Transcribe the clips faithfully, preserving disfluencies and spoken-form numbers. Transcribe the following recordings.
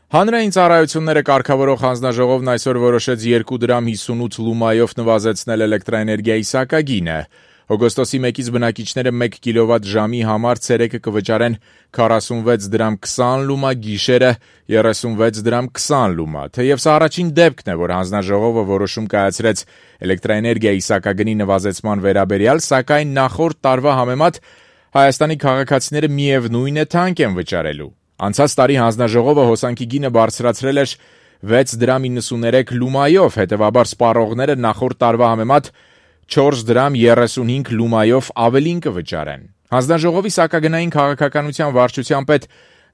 Հանրային ծառայությունները կարգավորող հանձնաժողովն այսօր որոշեց երկու դրամ հիսունութ լումայով նվազեցնել էլեկտրաէներգիայի սակագինը։ Օգոստոսի մեկից բնակիչները մեկ կիլովատ ժամի համար ցերեկը կվճարեն քառասունվեց դրամ քսան լումա, գիշերը երեսունվեց դրամ քսան լումա։ Թեև սա առաջին դեպքն է, որ հանձնաժողովը որոշում կայացրեց էլեկտրաէներգիայի սակագնի նվազեցման վերաբերյալ, սակայն նախորդ տարվա համեմատ Հայաստանի քաղաքացիները միևնույն է թանկ են վճարելու։ Անցած տարի հանձնաժողովը հոսանքի գինը բարձրացրել էր վեց դրամ իննսուներեք լումայով, հետևաբար սպառողները նախորդ տարվա համեմատ չորս դրամ երեսունհինգ լումայով ավելին կվճարեն։ Հանձնաժողովի սակագնային քաղաքականության վարչության պետ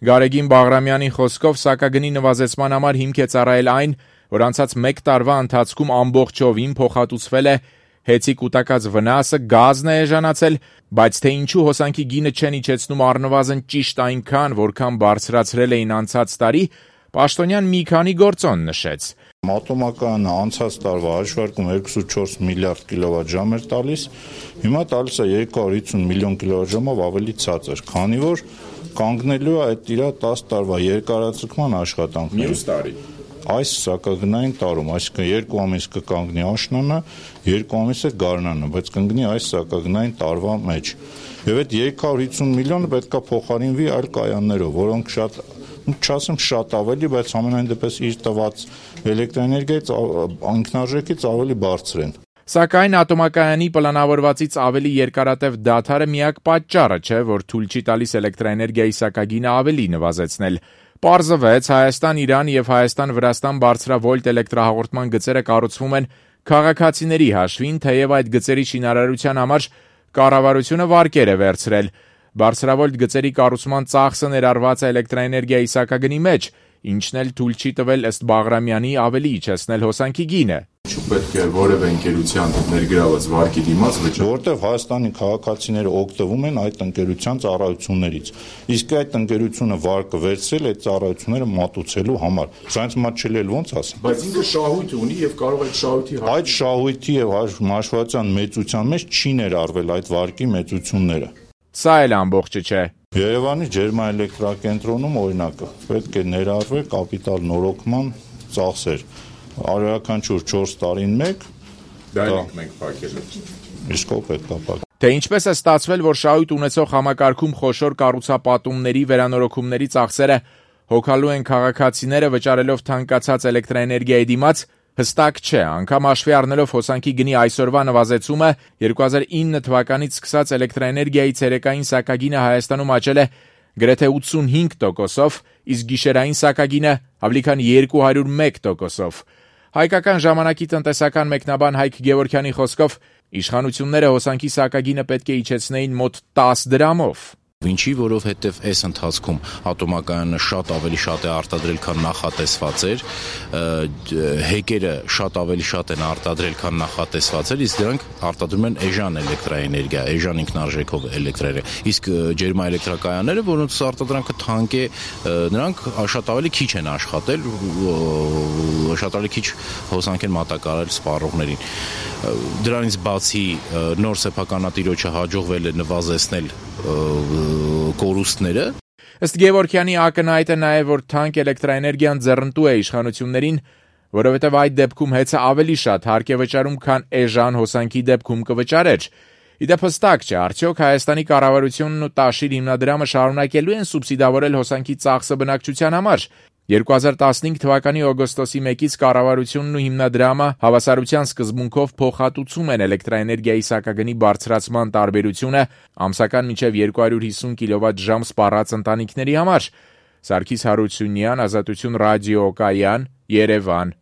Գարեգին Բաղրամյանի խոսքով սակագնի նվազեցման համար հիմք է ծառայել այն, որ անցած մեկ տարվա ընթացքում ամբողջովին փոխհատուցվել է հեծի կուտակած վնասը, գազն է էժանացել, բայց թե ինչու հոսանքի գինը չեն իջեցնում առնվազն ճիշտ այնքան, որքան բարձրացրել էին անցած տարի, Պաշտոնյան մի քանի գործոն նշեց։ Մատոմականը անցած տարվա հաշվարկում երկուսուց չորս միլիարդ կիլովատժամ էր տալիս, հիմա տալիս է երկու հարյուր հիսուն միլիոն կիլովատժամով ավելի ցածր, քանի որ կանգնելու է այդ իր տասը տարվա երկարաձգման աշխատանքները։ Մյուս տարի Այս սակագնային տարում, այսինքն երկու ամիս կկանգնի աշնանը, երկու ամիսը գարնանը, բայց կընկնի այս սակագնային տարվա մեջ։ Եվ այդ երկու հարյուր հիսուն միլիոնը պետք է փոխարինվի այլ կայաններով, որոնք շատ, չասեմ շատ ավելի, բայց ամենայն դեպս իր տված էլեկտրաէներգիայից ինքնարժեքից ավելի բարձր են։ Սակայն ատոմակայանի պլանավորվածից ավելի երկարատև դադարը միակ պատճառը չէ, որ թույլ չի տալիս էլեկտրաէներգիայի սակագինը ավելի նվազեցնել։ Պարզվեց, Հայաստան-Իրան եւ Հայաստան-Վրաստան բարձրավոլտ էլեկտրահաղորդման գծերը կառուցվում են քաղաքացիների հաշվին, թեև այդ գծերի շինարարության համար կառավարությունը վարկեր է վերցրել։ Բարձրավոլտ գծերի կառուցման ծախսը ներառված է էլեկտրաէներգիայի սակագնի մեջ, ինչն էլ թույլ չի տվել ըստ Բաղրամյանի ավելի իջեցնել հոսանքի գինը։ Ինչու պետք է որևէ ընկերության ներգրաված վարկի դիմաց վճարել, որտեղ Հայաստանի քաղաքացիները օգտվում են այդ ընկերության ծառայություններից, իսկ այդ ընկերությունը վարկը վերցրել այդ ծառայությունները մատուցելու համար։ Սա ինձ մոտ չէ ոնց ասեմ։ բայց ինքը շահույթ ունի եւ կարող այդ շահույթի այդ շահույթի եւ հաշվետվության մեծության մեջ չի ներառվել այդ վարկի մեծությունները։ Սա էլ ամբողջը չէ։ Երևանի ջերմաէլեկտրակենտրոնում օրինակը պետք է ներառվի կապիտալ նորոգման ծախսեր։ Արարականչուր չորս տարին մեկ դա մենք փակել ենք։ Իսկ ո պետք է փակ։ Թե ինչպես է ստացվել, որ շահույթ ունեցող համակարգում խոշոր կառուցապատումների վերանորոգումների ծախսերը հոգալու են քաղաքացիները վճարելով թանկացած էլեկտրաէներգիայի դիմաց, հստակ չէ, անգամ հաշվի առնելով հոսանքի գնի այսօրվա նվազեցումը, երկու հազար ինը թվականից սկսած էլեկտրաէներգիայի ցերեկային սակագինը Հայաստանում աճել է գրեթե ութսունհինգ տոկոսով, իսկ գիշերային սակագինը ավելի քան երկու հարյուր մեկ տոկոսով։ Հայկական ժամանակի տնտեսական մեկնաբան Հայկ Գևորգյանի խոսքով իշխանությունները հոսանքի սակագինը պետք է իջեցնեին մոտ տասը դրամով։ Ինչի, որովհետև այս ընթացքում ատոմակայանը շատ ավելի շատ է արտադրել, քան նախատեսված էր, հեկերը շատ ավելի շատ են արտադրել, քան նախատեսված էր, իսկ դրանք արտադրում են էժան էլեկտրաէներգիա, էժան ինքնարժեքով էլեկտրաէներգիա, իսկ ջերմաէլեկտրակայանները, որոնց արտադրանքը թանկ է, նրանք շատ ավելի քիչ են աշխատել, շատ ավելի քիչ հոսանք են մատակարարել սպառողներին։ Դրանից բացի նոր սեփականատիրոջը հաջողվել է նվազեցնել կորուստները։ Ըստ Գևորգյանի ակնհայտ է նաև, որ թանկ էլեկտրաէներգիան ձեռնտու է իշխանություններին, որովհետև այդ դեպքում հեծը ավելի շատ հարկ է վճարում, քան էժան հոսանքի դեպքում կվճարեր։ Իդեպ հստակ չէ, արդյոք Հայաստանի կառավարությունն ու Տաշիր հիմնադրամը շարունակելու են սուբսիդավորել հոսանքի ծախսը բնակչության համար։ երկու հազար տասնհինգ թվականի օգոստոսի մեկից կառավարությունն ու հիմնադրամը հավասարության սկզբունքով փոխհատուցում են էլեկտրաէներգիայի սակագնի բարձրացման տարբերությունը ամսական մինչև երկու հարյուր հիսուն կիլովատժամ սպառած ընտանիքների համար։ Սարգիս Հարությունյան, Ազատություն ռադիոկայան, Երևան։